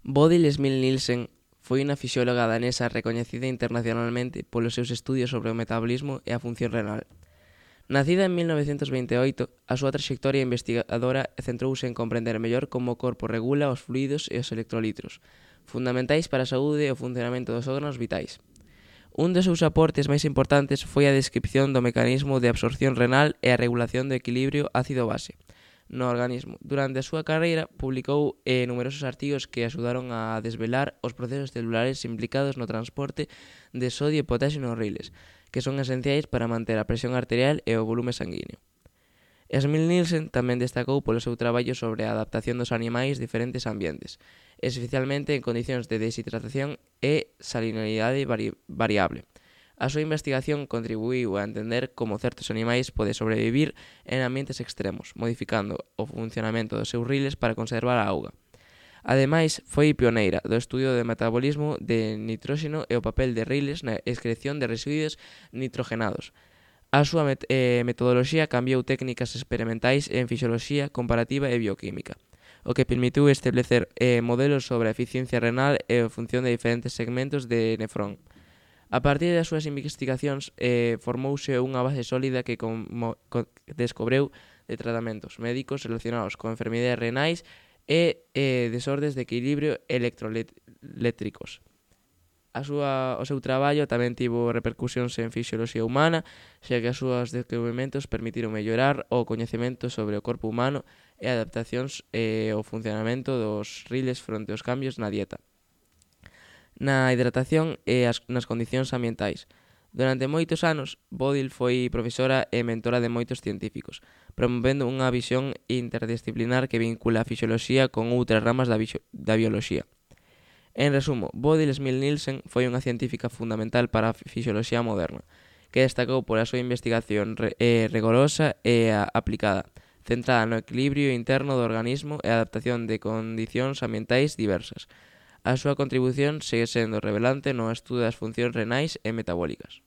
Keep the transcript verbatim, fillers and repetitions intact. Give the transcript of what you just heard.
Bodil Smith-Nielsen foi unha fisióloga danesa recoñecida internacionalmente polos seus estudios sobre o metabolismo e a función renal. Nacida en mil novecentos vinte e oito, a súa traxectoria investigadora centrouse en comprender mellor como o corpo regula os fluidos e os electrolitos, fundamentais para a saúde e o funcionamento dos órganos vitais. Un dos seus aportes máis importantes foi a descripción do mecanismo de absorción renal e a regulación do equilibrio ácido-base no organismo. Durante a súa carreira, publicou eh, numerosos artigos que axudaron a desvelar os procesos celulares implicados no transporte de sodio e potasio nos riles, que son esenciais para manter a presión arterial e o volume sanguíneo. Smith-Nielsen tamén destacou polo seu traballo sobre a adaptación dos animais a diferentes ambientes, especialmente en condicións de deshidratación e salinidade vari variable. A súa investigación contribuíu a entender como certos animais poden sobrevivir en ambientes extremos, modificando o funcionamento dos seus riles para conservar a auga. Ademais, foi pioneira do estudio do metabolismo de nitróxeno e o papel de riles na excreción de residuos nitrogenados. A súa met eh, metodoloxía cambiou técnicas experimentais en fisioloxía comparativa e bioquímica, o que permitiu establecer eh, modelos sobre a eficiencia renal e a función de diferentes segmentos de nefrón. A partir das súas investigacións, eh, formouse unha base sólida que como, co, descobreu de tratamentos médicos relacionados con enfermidades renais e eh, desordes de equilibrio electroeléctricos. A súa, o seu traballo tamén tivo repercusións en fisioloxía humana, xa que as súas descubrimentos permitiron mellorar o coñecemento sobre o corpo humano e adaptacións e o funcionamento dos riles fronte aos cambios na dieta, na hidratación e as, nas condicións ambientais. Durante moitos anos, Bodil foi profesora e mentora de moitos científicos, promovendo unha visión interdisciplinar que vincula a fisioloxía con outras ramas da, da bioloxía. En resumo, Bodil Smith-Nielsen foi unha científica fundamental para a fisioloxía moderna, que destacou pola súa investigación re, eh, rigorosa e a, aplicada, centrada no equilibrio interno do organismo e a adaptación de condicións ambientais diversas. A súa contribución segue sendo relevante no estudo das funcións renais e metabólicas.